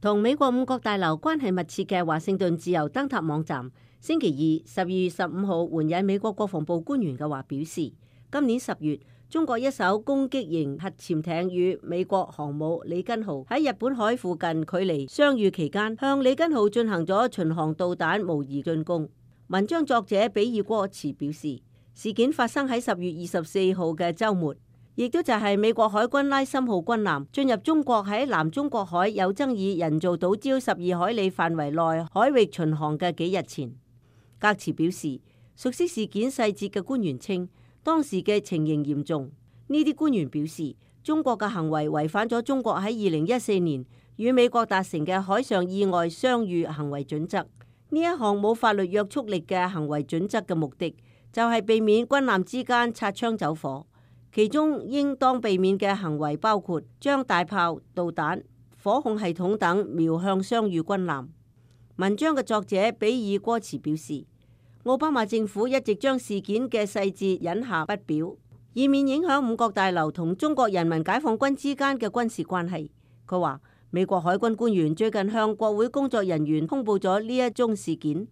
同美國五角大樓關係密切嘅華盛頓自由燈塔網站星期二12月15號援引美國國防部官員嘅話表示，今年10月中國一艘攻擊型核潛艇與美國航母里根號喺日本海附近距離相遇期間，向里根號進行咗巡航導彈模擬進攻。文章作者比爾戈茨表示，事件發生喺10月24號嘅週末，亦都就係美國海軍拉森號軍艦進入中國喺南中國海有爭議人造島礁12海里範圍內海域巡航嘅幾日前。戈茨表示，熟悉事件細節嘅官員稱，當時嘅情形嚴重。呢啲官員表示，中國嘅行為違反咗中國喺2014年與美國達成嘅海上意外相遇行為準則。呢一項冇法律約束力嘅行為準則嘅目的，就係避免軍艦之間擦槍走火，其中應當避免嘅行為包括將大炮、導彈、火控系統等瞄向相遇軍艦。文章嘅作者比爾戈茨表示，奧巴馬政府一直將事件嘅細節隱下不表，以免影響五角大樓同中國人民解放軍之間嘅軍事關係。佢話，美國海軍官員最近向國會工作人員通報咗呢一宗事件。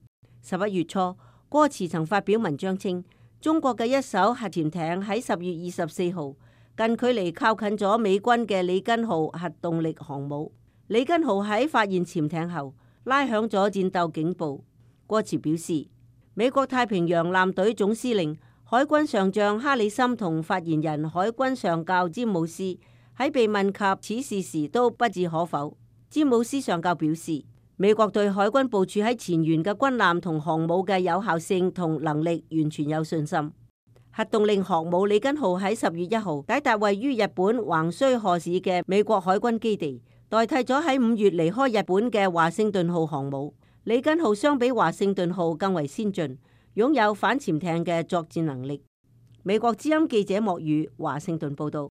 11月初，戈茨曾發表文章稱，中國嘅一艘核潛艇喺10月24號近距離靠近咗美軍嘅里根號核動力航母。里根號喺發現潛艇後拉響咗戰鬥警報。戈茨表示，美國太平洋艦隊總司令海軍上將哈里森同發言人海軍上校詹姆斯喺被問及此事時都不置可否。詹姆斯上校表示，美國對海軍部署喺前沿嘅軍艦同航母嘅有效性同能力完全有信心。核動力航母里根號喺10月1號抵達位於日本橫須賀市嘅美國海軍基地，代替咗喺5月離開日本嘅華盛頓號航母。里根號相比華盛頓號更為先進，擁有反潛艇嘅作戰能力。美國之音記者莫宇華盛頓報道。